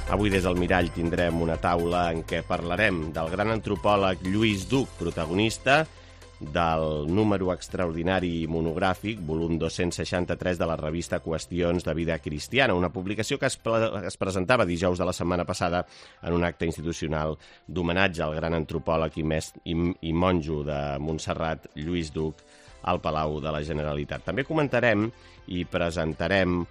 Avui des del Mirall tindrem una taula en què parlarem del gran antropòleg Lluís Duc, protagonista del número extraordinari monogràfic, volum 263 de la revista Qüestions de Vida Cristiana, una publicació que es presentava dijous de la setmana passada en un acte institucional d'homenatge al gran antropòleg i monjo de Montserrat, Lluís Duc, al Palau de la Generalitat. També comentarem i presentarem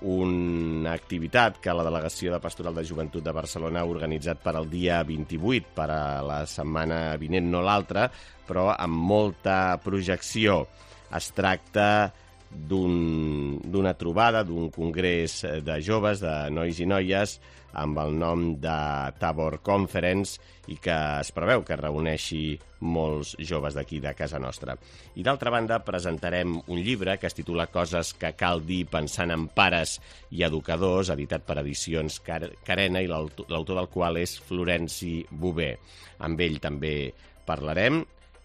una activitat que la Delegació de Pastoral de Joventut de Barcelona ha organitzat per al dia 28, per a la setmana vinent, no l'altra, però amb molta projecció. Es tracta d'una trobada, d'un congrés de joves, de nois i noies, amb el nom de Tabor Conference i que es preveu que reuneixi molts joves d'aquí, de casa nostra. I d'altra banda presentarem un llibre que es titula Coses que cal dir pensant en pares i educadors, editat per Edicions Carena i l'autor del qual és Florenci Bové. Amb ell també parlarem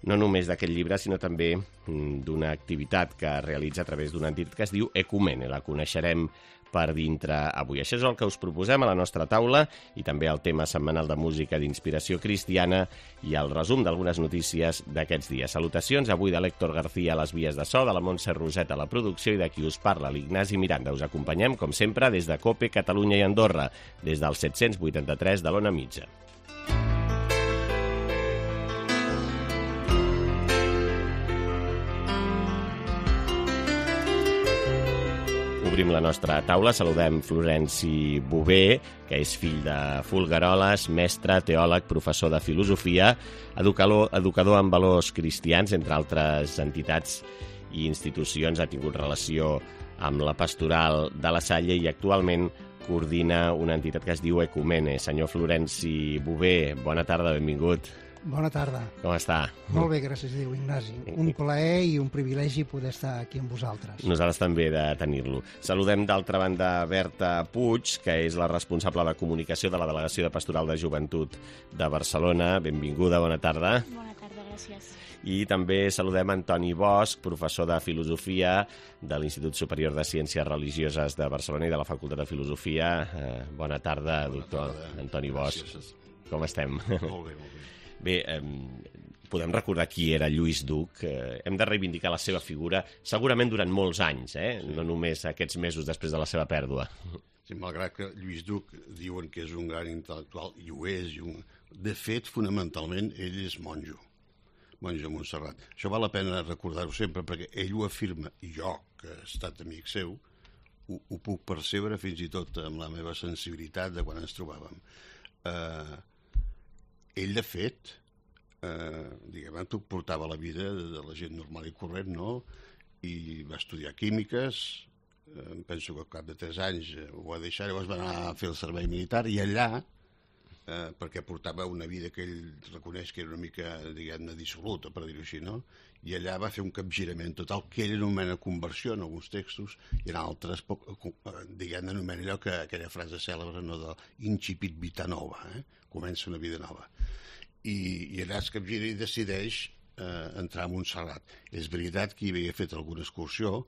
no només d'aquest llibre, sinó també d'una activitat que realitza a través d'una entitat que es diu Ecumene. La coneixerem per dintre avui. Això és el que us proposem a la nostra taula i també el tema setmanal de música d'inspiració cristiana i el resum d'algunes notícies d'aquests dies. Salutacions avui de l'Héctor García a les vies de so, de la Montse Roset a la producció i de qui us parla, l'Ignasi Miranda. Us acompanyem, com sempre, des de COPE, Catalunya i Andorra, des del 783 de l'Ona Mitja. Obrim la nostra taula, saludem Florenci Bové, que és fill de Folgueroles, mestre, teòleg, professor de filosofia, educador en valors cristians, entre altres entitats i institucions. Ha tingut relació amb la pastoral de la Salle i actualment coordina una entitat que es diu Ecumene. Senyor Florenci Bové, bona tarda, benvingut. Bona tarda. Com està? Molt bé, gràcies a Déu, Ignasi. Un plaer i un privilegi poder estar aquí amb vosaltres. Nosaltres també de tenir-lo. Saludem d'altra banda Berta Puig, que és la responsable de comunicació de la Delegació de Pastoral de Joventut de Barcelona. Benvinguda, bona tarda. Bona tarda, gràcies. I també saludem Antoni Bosch, professor de filosofia de l'Institut Superior de Ciències Religioses de Barcelona i de la Facultat de Filosofia. Bona tarda, doctor Antoni Bosch. Gràcies. Com estem? Molt bé, molt bé. Bé, podem recordar qui era Lluís Duc. Hem de reivindicar la seva figura segurament durant molts anys, no només aquests mesos després de la seva pèrdua. Sí, malgrat que Lluís Duc diuen que és un gran intel·lectual, i ho és. De fet, fonamentalment, ell és monjo de Montserrat. Això val la pena recordar-ho sempre, perquè ell ho afirma, i jo, que he estat amic seu, ho puc percebre fins i tot amb la meva sensibilitat de quan ens trobàvem. Ell, de fet, portava la vida de la gent normal i corrent, no? I va estudiar químiques, penso que al cap de 3 anys ho va deixar, llavors va anar a fer el servei militar, i allà, perquè portava una vida que ell reconeix que era una mica, diguem-ne, dissoluta, per dir-ho així, no? I allà va fer un capgirament total, que ell anomena conversió en alguns textos, i en altres, diguem-ne, anomena allò que aquella frase cèlebre, no?, de incipit vita nova, comença una vida nova. I allà es capgira i decideix entrar a Montserrat. És veritat que hi havia fet alguna excursió,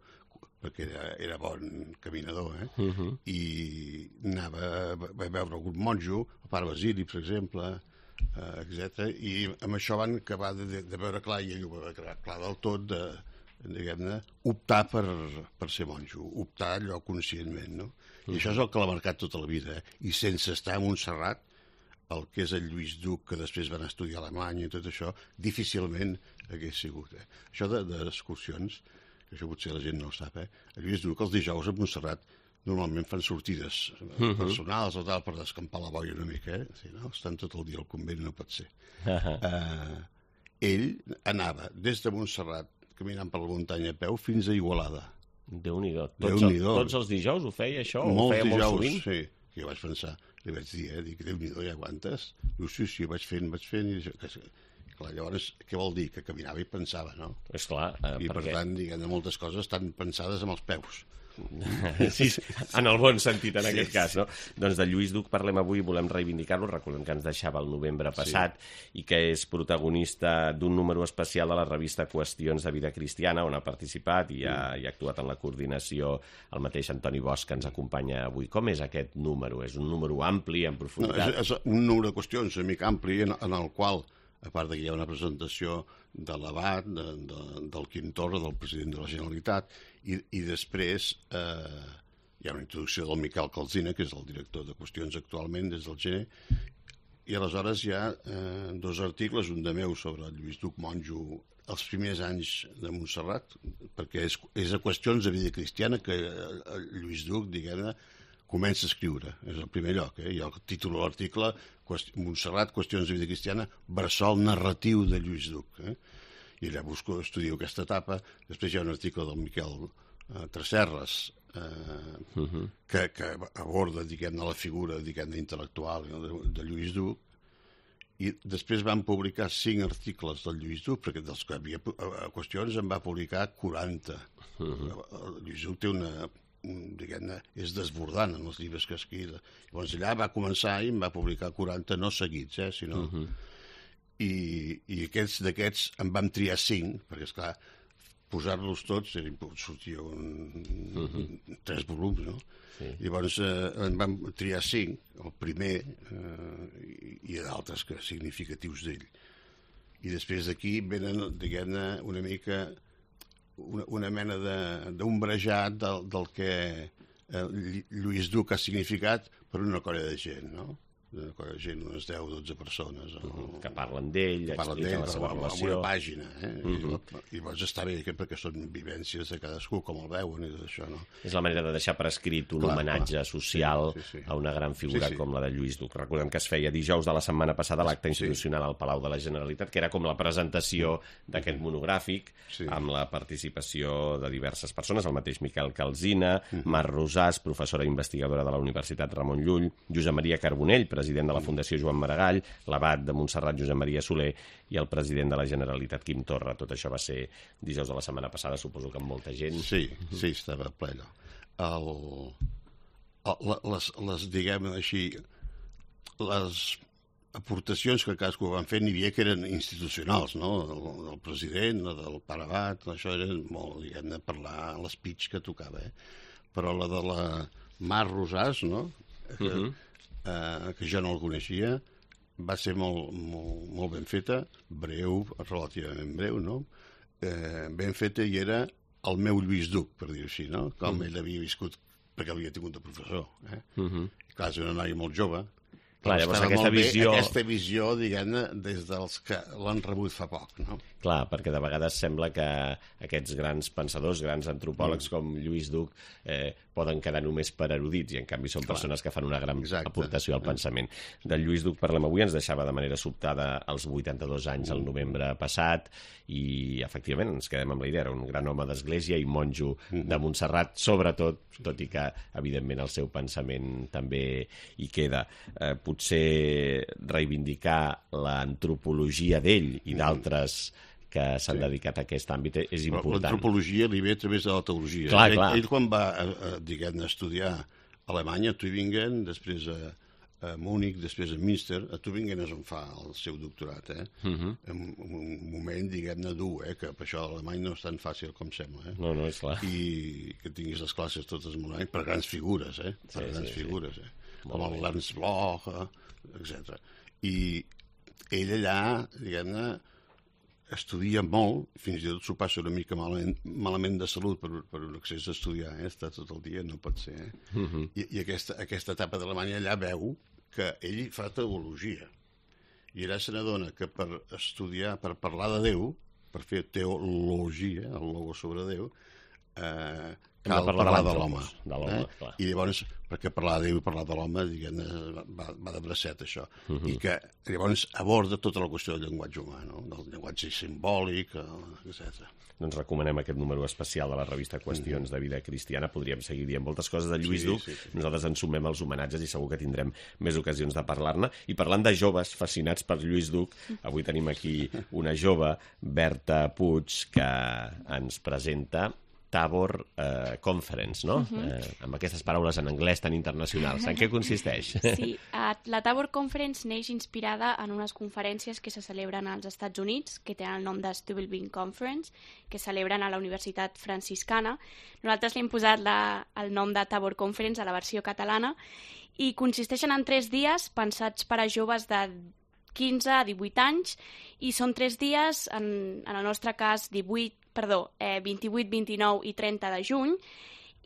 perquè era bon caminador, i va veure algun monjo, el pare Basili, per exemple, etc. I amb això van acabar de veure clar, i ell ho va veure clar del tot, diguem-ne, optar per ser monjo, optar allò conscientment, no? I això és el que l'ha marcat tota la vida, I sense estar a Montserrat, el que és el Lluís Duc, que després van estudiar a Alemanya i tot això, difícilment hagués sigut. Això d'excursions, que això potser la gent no ho sap, el Lluís Duc els dijous a Montserrat normalment fan sortides personals o tal per descampar la boia una mica, Si no, estan tot el dia al convent, no pot ser. Ell anava des de Montserrat, caminant per la muntanya a peu, fins a Igualada. Déu-n'hi-do. Tots els dijous ho feia, això? Ho feia molt sovint? Molts dijous, sí. Jo vaig pensar, li vaig dir, dic, Déu-n'hi-do, ja aguantes? Diu, sí, vaig fent, i clar, llavors, què vol dir? Que caminava i pensava, no? És clar, I per tant, diguem, moltes coses estan pensades amb els peus. Sí, en el bon sentit, en aquest cas, no? Doncs de Lluís Duc parlem avui, volem reivindicar-lo, recordem que ens deixava el novembre passat i que és protagonista d'un número especial de la revista Qüestions de Vida Cristiana, on ha participat i ha actuat en la coordinació el mateix Antoni Bosch, que ens acompanya avui. Com és aquest número? És un número ampli, en profunditat? És un número de qüestions una mica ampli en el qual, a part que hi ha una presentació de l'abat, del Quim Torra, del president de la Generalitat, i després hi ha una introducció del Miquel Calsina, que és el director de Qüestions actualment des del gener, i aleshores hi ha 2 articles, un de meu sobre el Lluís Duc Monjo, els primers anys de Montserrat, perquè és a Qüestions de Vida Cristiana que el Lluís Duc, diguem-ne, comença a escriure, és el primer lloc, i el títol de l'article, Montserrat, Qüestions de Vida Cristiana, bressol narratiu de Lluís Duc. I allà estudio aquesta etapa. Després hi ha un article del Miquel Tresserras que aborda, diguem-ne, la figura, diguem-ne, intel·lectual de Lluís Duc, i després van publicar 5 articles del Lluís Duc, perquè dels que havia qüestions en va publicar 40. Lluís Duc té diguem-ne, és desbordant en els llibres que escriu. Llavors allà va començar i en va publicar 40, no seguits, sinó... I d'aquests en vam triar 5, perquè, esclar, posar-los tots sortia 3 volums, no? Sí. Llavors en vam triar 5, el primer, i d'altres significatius d'ell. I després d'aquí venen, diguem-ne, una mica una mena d'ombrejat del que Lluís Duc ha significat per una colla de gent, no? Gent, unes 10 o 12 persones que parlen d'ell, expliquen la seva relació, amb una pàgina, i llavors està bé perquè són vivències de cadascú, com el veuen i tot això, no? És la manera de deixar per escrit un homenatge social a una gran figura com la de Lluís Duc. Recordem que es feia dijous de la setmana passada l'acte institucional al Palau de la Generalitat, que era com la presentació d'aquest monogràfic, amb la participació de diverses persones, el mateix Miquel Calsina, Mar Rosàs, professora investigadora de la Universitat Ramon Llull, Josep Maria Carbonell, president de la Fundació Joan Maragall, l'abat de Montserrat Josep Maria Soler i el president de la Generalitat Quim Torra. Tot això va ser dijous de la setmana passada, suposo que amb molta gent. Sí, estava ple allò. Les, diguem-ne així, les aportacions que cadascú van fer n'hi havia que eren institucionals, no? Del president, del pare abat, això era molt, diguem-ne, parlar l'espeech que tocava, Però la de la Mar Rosàs, no? Que jo no el coneixia, va ser molt ben feta, breu, relativament breu, no? Ben feta, i era el meu Lluís Duc, per dir-ho així, no? Com ell havia viscut, perquè havia tingut de professor. I clar, és una noia molt jove. Clar, llavors aquesta visió, diguem-ne, des dels que l'han rebut fa poc, no? Clar, perquè de vegades sembla que aquests grans pensadors, grans antropòlegs com Lluís Duc poden quedar només per erudits, i en canvi són persones que fan una gran aportació al pensament. Del Lluís Duc parlem avui, ens deixava de manera sobtada als 82 anys el novembre passat, i efectivament ens quedem amb la idea, era un gran home d'església i monjo de Montserrat, sobretot, tot i que evidentment el seu pensament també hi queda. Potser reivindicar l'antropologia d'ell i d'altres que s'han dedicat a aquest àmbit és important. L'antropologia li ve a través de la teologia. Clar. Ell quan va, diguem-ne, estudiar a Alemanya, a Tübingen, després a Múnich, després a Münster, a Tübingen és on fa el seu doctorat, en un moment, diguem-ne, dur, que per això l'alemany no és tan fàcil com sembla, No, és clar. I que tinguis les classes totes en un any per grans figures, per grans figures, com el Ernst Bloch, etc. I ell allà, diguem-ne, estudia molt, fins i tot s'ho passa una mica malament de salut per un accés a estudiar, està tot el dia, no pot ser. I aquesta etapa d'Alemanya allà veu que ell fa teologia. I allà se n'adona que per estudiar, per parlar de Déu, per fer teologia, el logo sobre Déu, cal parlar de l'home. I llavors, perquè parlar de Déu i parlar de l'home, diguem-ne, va de bracet, això. I que llavors aborda tota la qüestió del llenguatge humà, del llenguatge simbòlic, etc. Doncs recomanem aquest número especial de la revista Qüestions de Vida Cristiana. Podríem seguir dient moltes coses de Lluís Duc. Nosaltres ens sumem als homenatges i segur que tindrem més ocasions de parlar-ne. I parlant de joves fascinats per Lluís Duc, avui tenim aquí una jove, Berta Puig, que ens presenta Tabor Conference, no? Amb aquestes paraules en anglès tan internacionals. En què consisteix? Sí, la Tabor Conference neix inspirada en unes conferències que se celebren als Estats Units, que tenen el nom de Stubblebeen Conference, que es celebren a la Universitat Franciscana. Nosaltres li hem posat el nom de Tabor Conference a la versió catalana i consisteixen en 3 dies pensats per a joves de 15 a 18 anys i són 3 dies, en el nostre cas 28, 29 i 30 de juny,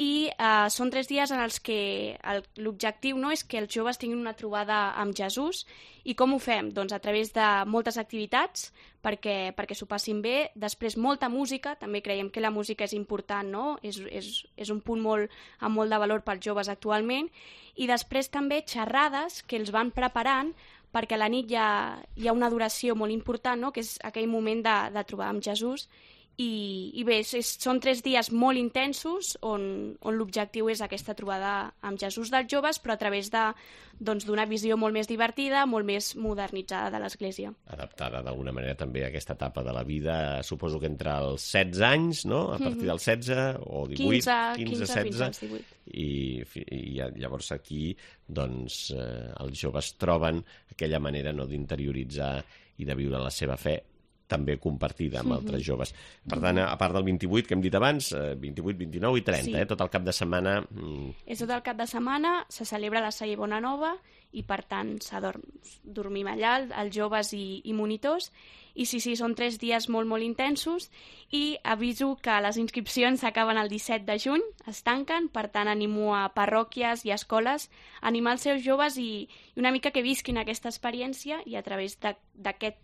i són 3 dies en els que l'objectiu no és que els joves tinguin una trobada amb Jesús. I com ho fem? Doncs a través de moltes activitats perquè s'ho passin bé, després molta música, també creiem que la música és important, no? És un punt amb molt de valor pels joves actualment, i després també xerrades que els van preparant perquè a la nit hi ha una adoració molt important, no? Que és aquell moment de trobar amb Jesús. I bé, són 3 dies molt intensos on l'objectiu és aquesta trobada amb Jesús dels joves, però a través d'una visió molt més divertida, molt més modernitzada de l'Església. Adaptada d'alguna manera també a aquesta etapa de la vida, suposo que entre els 16 anys, no? A partir dels 16 o 18, 15 16, fins als 18. I llavors aquí doncs, els joves troben aquella manera d'interioritzar i de viure la seva fe també compartida amb altres joves. Per tant, a part del 28 que hem dit abans, 28, 29 i 30, sí. Tot el cap de setmana... És tot el cap de setmana, se celebra la Salle Bonanova i, per tant, dormim allà, els joves i monitors. I sí, són 3 dies molt, molt intensos i aviso que les inscripcions s'acaben el 17 de juny, es tanquen, per tant, animo a parròquies i escoles a animar els seus joves i una mica que visquin aquesta experiència i a través d'aquest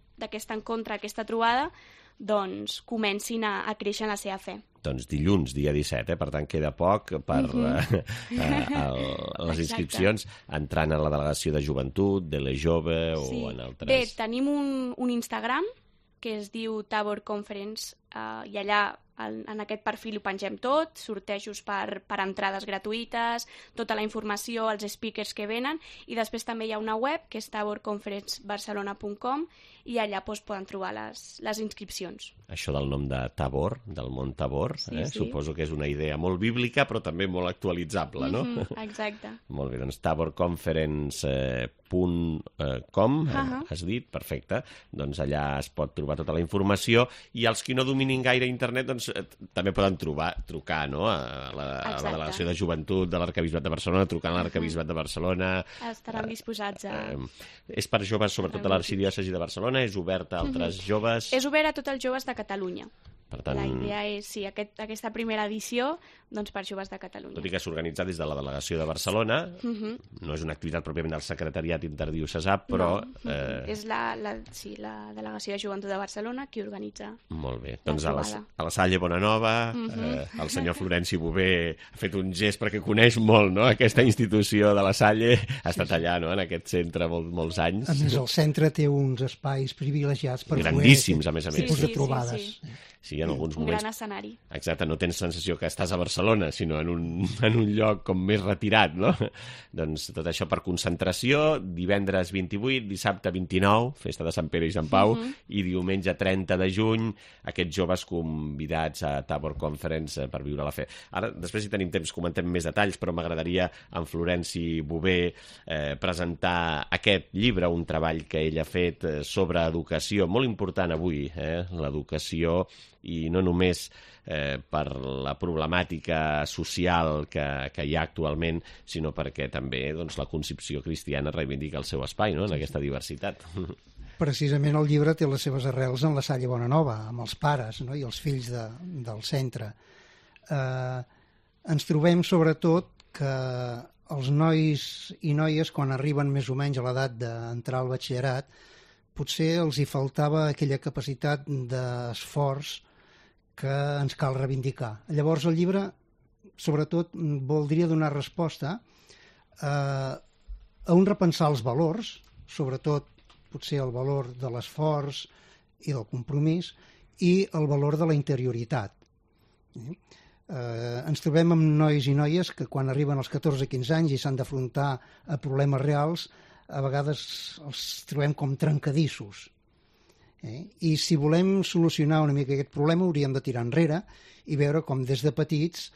encontre, aquesta trobada, doncs comencin a créixer en la seva fe. Doncs dilluns, dia 17, per tant queda poc per les inscripcions, entrant a la delegació de joventut, de la jove o en altres... Bé, tenim un Instagram que es diu Tabor Conference i allà en aquest perfil ho pengem tot, sortejos per entrades gratuïtes, tota la informació, els speakers que venen, i després també hi ha una web que és taborconferencebarcelona.com i allà poden trobar les inscripcions. Això del nom de Tabor, del mont Tabor, sí. Suposo que és una idea molt bíblica però també molt actualitzable, no? Exacte. Molt bé, doncs taborconference.com, has dit, perfecte. Doncs allà es pot trobar tota la informació i els que no dominin gaire internet doncs també poden trucar, no? a la delegació de joventut de l'Arquebisbat de Barcelona, trucant a l'Arquebisbat de Barcelona. Estaran disposats a... És per joves, sobretot a l'Arxidiòcesi de Barcelona? És obert a altres joves? És obert a tots els joves de Catalunya. Per tant... La idea és, sí, aquesta primera edició, doncs per joves de Catalunya. Tot i que s'organitza des de la delegació de Barcelona, no és una activitat pròpiament del secretariat interdiocesà, però... No, és la delegació de joventut de Barcelona qui organitza. Molt bé. Doncs a la Salle Bonanova, el senyor Florenci Bové ha fet un gest perquè coneix molt, no?, aquesta institució de la Salle, ha estat allà, no?, en aquest centre molts anys. A més, el centre té uns espais privilegiats per grandíssims, a més a més. Tipus de trobades. Sí, en alguns moments... Un gran escenari. Exacte, no tens sensació que estàs a Barcelona, sinó en un lloc com més retirat, no? Doncs tot això per concentració, divendres 28, dissabte 29, festa de Sant Pere i Sant Pau, i diumenge 30 de juny, aquests joves convidats a Tabor Conference per viure la fe. Ara, després, si tenim temps, comentem més detalls, però m'agradaria en Florenci Bové presentar aquest llibre, un treball que ell ha fet sobre educació, molt important avui, l'educació, i no només per la problemàtica social que hi ha actualment, sinó perquè també doncs, la concepció cristiana reivindica el seu espai, no?, en aquesta diversitat. Precisament el llibre té les seves arrels en la Salle Bonanova, amb els pares, no?, i els fills del centre. Ens trobem sobretot que els nois i noies, quan arriben més o menys a l'edat d'entrar al batxillerat, potser els hi faltava aquella capacitat d'esforç que ens cal reivindicar. Llavors el llibre, sobretot, voldria donar resposta a un repensar els valors, sobretot potser el valor de l'esforç i del compromís i el valor de la interioritat. Ens trobem amb nois i noies que quan arriben als 14-15 anys i s'han d'afrontar a problemes reals, a vegades els trobem com trencadissos. I si volem solucionar una mica aquest problema hauríem de tirar enrere i veure com des de petits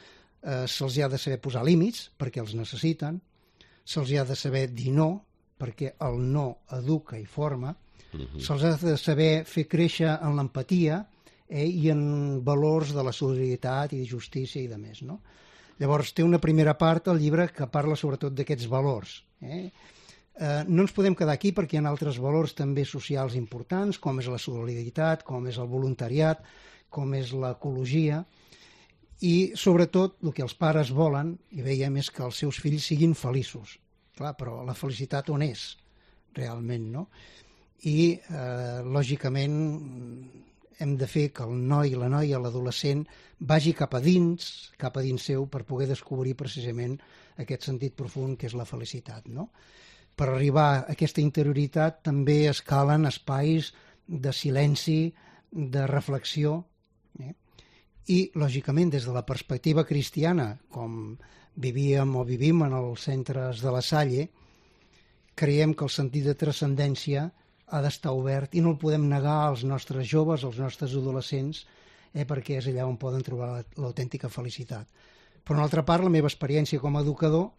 se'ls ha de saber posar límits perquè els necessiten, se'ls ha de saber dir no perquè el no educa i forma, se'ls ha de saber fer créixer en l'empatia i en valors de la solidaritat i de justícia i de més, no? Llavors té una primera part al llibre que parla sobretot d'aquests valors. No ens podem quedar aquí perquè hi ha altres valors també socials importants, com és la solidaritat, com és el voluntariat, com és l'ecologia, i sobretot el que els pares volen, i veiem, és que els seus fills siguin feliços. Clar, però la felicitat on és realment, no? I, lògicament, hem de fer que el noi, la noia, l'adolescent vagi cap a dins seu per poder descobrir precisament aquest sentit profund que és la felicitat, no? Per arribar a aquesta interioritat també es calen espais de silenci, de reflexió, i, lògicament, des de la perspectiva cristiana, com vivíem o vivim en els centres de la Salle, creiem que el sentit de transcendència ha d'estar obert i no el podem negar als nostres joves, als nostres adolescents, perquè és allà on poden trobar l'autèntica felicitat. Per una altra part, la meva experiència com a educador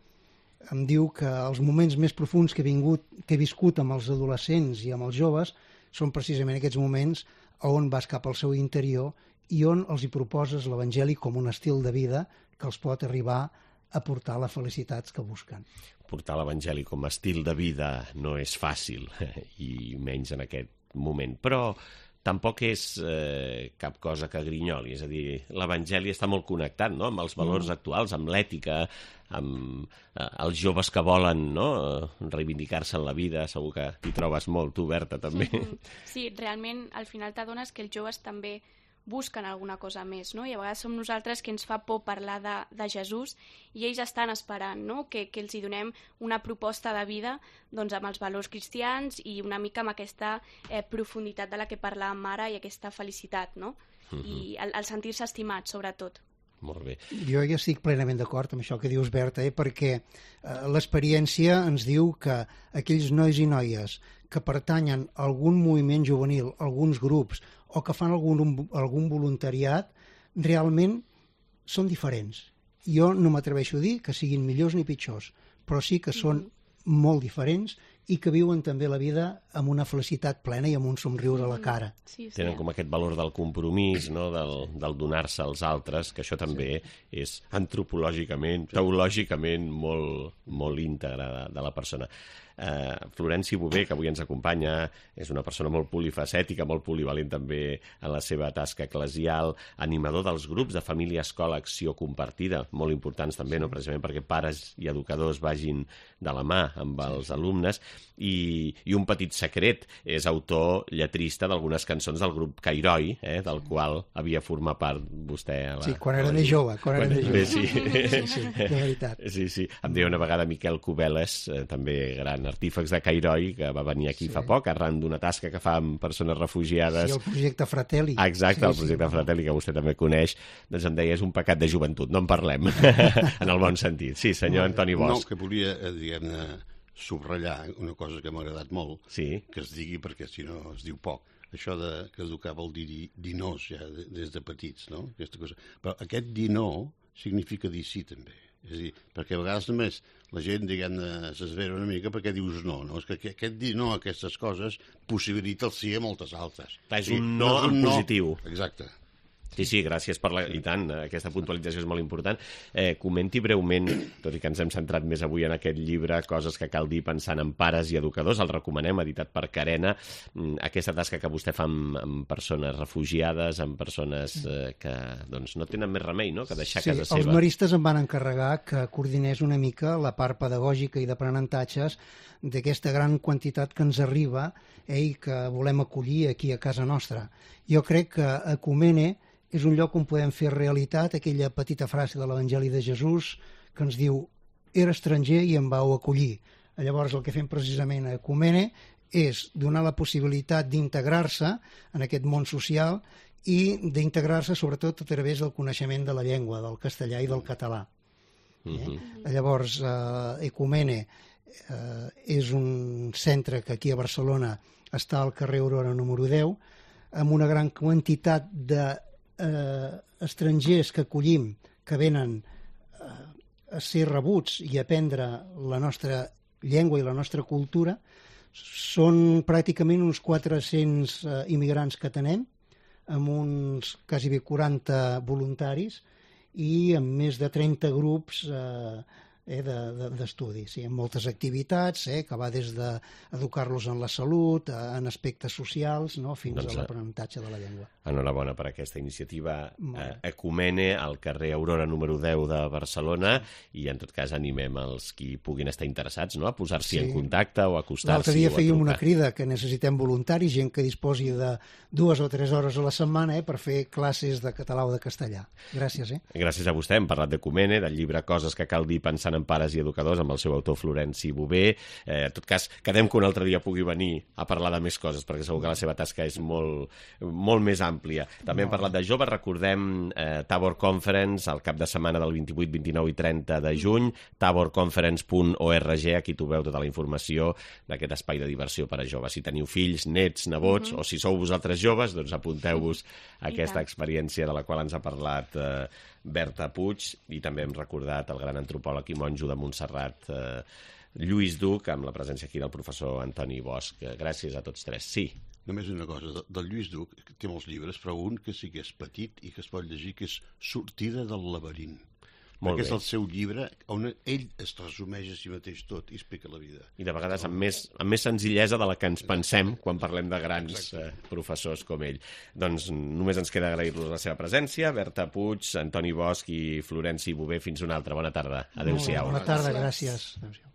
em diu que els moments més profunds que he viscut amb els adolescents i amb els joves són precisament aquests moments on vas cap al seu interior i on els hi proposes l'Evangeli com un estil de vida que els pot arribar a portar les felicitats que busquen. Portar l'Evangeli com a estil de vida no és fàcil, i menys en aquest moment, però tampoc és cap cosa que grinyoli, és a dir, l'Evangeli està molt connectat, no?, amb els valors actuals, amb l'ètica, amb els joves que volen, no?, reivindicar-se en la vida. Segur que t'hi trobes molt, tu, Berta, també. Sí, realment, al final t'adones que els joves també busquen alguna cosa més, no? I a vegades som nosaltres que ens fa por parlar de Jesús i ells estan esperant, no?, que els hi donem una proposta de vida, doncs, amb els valors cristians i una mica amb aquesta profunditat de la que parlàvem ara i aquesta felicitat, no? I el sentir-se estimat, sobretot. Molt bé. Jo ja estic plenament d'acord amb això que dius, Berta, perquè l'experiència ens diu que aquells nois i noies que pertanyen a algun moviment juvenil, alguns grups, o que fan algun voluntariat, realment són diferents. Jo no m'atreveixo a dir que siguin millors ni pitjors, però sí que són molt diferents i que viuen també la vida amb una felicitat plena i amb un somriure a la cara. Sí. Tenen com aquest valor del compromís, no?, del donar-se als altres, que això també és antropològicament, teològicament molt íntegre de la persona. Florenci Bové, que avui ens acompanya, és una persona molt polifacètica, molt polivalent també en la seva tasca eclesial, animador dels grups de família, escola, acció compartida, molt importants també, no?, precisament perquè pares i educadors vagin de la mà amb els alumnes, i un petit secret, és autor lletrista d'algunes cançons del grup Cairoi, del qual havia format part vostè. Sí, quan era més jove. Sí, de veritat. Sí. Em deia una vegada Miquel Cubeles, també gran artífex de Cairoi, que va venir aquí fa poc, arran d'una tasca que fa amb persones refugiades. Sí, el projecte Fratelli. Exacte, el projecte Fratelli, que vostè també coneix. Doncs em deia, és un pecat de joventut, no en parlem, en el bon sentit. Sí, senyor Antoni Bosch. No, que volia, diguem-ne, subratllar una cosa que m'ha agradat molt, que es digui, perquè si no es diu poc. Això que educar vol dir nos ja des de petits, no? Aquesta cosa. Però aquest dir no significa dir sí també. És a dir, perquè a vegades només la gent, diguem-ne, s'esvera una mica perquè dius no, no? És que aquest dir no a aquestes coses possibilita el sí a moltes altres. És un no en positiu. Exacte. Sí, gràcies per i tant, aquesta puntualització és molt important. Comenti breument, tot i que ens hem centrat més avui en aquest llibre, coses que cal dir pensant en pares i educadors, el recomanem, editat per Carena, aquesta tasca que vostè fa amb persones refugiades, amb persones que doncs, no tenen més remei, no?, que deixar casa seva. Els maristes em van encarregar que coordinés una mica la part pedagògica i d'aprenentatges d'aquesta gran quantitat que ens arriba i que volem acollir aquí a casa nostra. Jo crec que Ecumene és un lloc on podem fer realitat aquella petita frase de l'Evangeli de Jesús que ens diu «Era estranger i em vau acollir». Llavors el que fem precisament a Ecumene és donar la possibilitat d'integrar-se en aquest món social i d'integrar-se sobretot a través del coneixement de la llengua, del castellà i del català. Llavors, Ecumene És un centre que aquí a Barcelona està al carrer Aurora número 10, amb una gran quantitat d'estrangers que acollim, que venen a ser rebuts i a aprendre la nostra llengua i la nostra cultura. Són pràcticament uns 400 immigrants que tenem, amb uns quasi 40 voluntaris i amb més de 30 grups d'estudi, sí, amb moltes activitats, que va des d'educar-los en la salut, en aspectes socials, no?, fins a l'aprenentatge de la llengua. Enhorabona per aquesta iniciativa Ecumene al carrer Aurora número 10 de Barcelona, i en tot cas animem els qui puguin estar interessats, no?, a posar-s'hi en contacte o a acostar-s'hi. L'altre dia fèiem una crida que necessitem voluntaris, gent que disposi de 2 o 3 hores a la setmana per fer classes de català o de castellà. Gràcies. Gràcies a vostè. Hem parlat d'Ecumene, del llibre Coses que cal dir pensant en pares i educadors, amb el seu autor Florenci Bové. En tot cas, quedem que un altre dia pugui venir a parlar de més coses, perquè segur que la seva tasca és molt més àmplia. També hem parlat de joves, recordem Tabor Conference, el cap de setmana del 28, 29 i 30 de juny, taborconference.org, aquí trobeu tota la informació d'aquest espai de diversió per a joves. Si teniu fills, nets, nebots, o si sou vosaltres joves, doncs apunteu-vos a aquesta experiència de la qual ens ha parlat Berta Puig, i també hem recordat el gran antropòleg i monjo de Montserrat, Lluís Duc, amb la presència aquí del professor Antoni Bosch. Gràcies a tots tres. Sí. Només una cosa, del Lluís Duc, que té molts llibres, però un que sí que és petit i que es pot llegir, que és Sortida del laberint. Perquè és el seu llibre on ell es resumeix a si mateix tot i explica la vida. I de vegades amb més senzillesa de la que ens pensem quan parlem de grans professors com ell. Doncs només ens queda agrair-los la seva presència. Berta Puig, Antoni Bosch i Florenci Bové. Fins una altra. Bona tarda. Adéu-siau. Bona tarda, gràcies. Adéu-siau.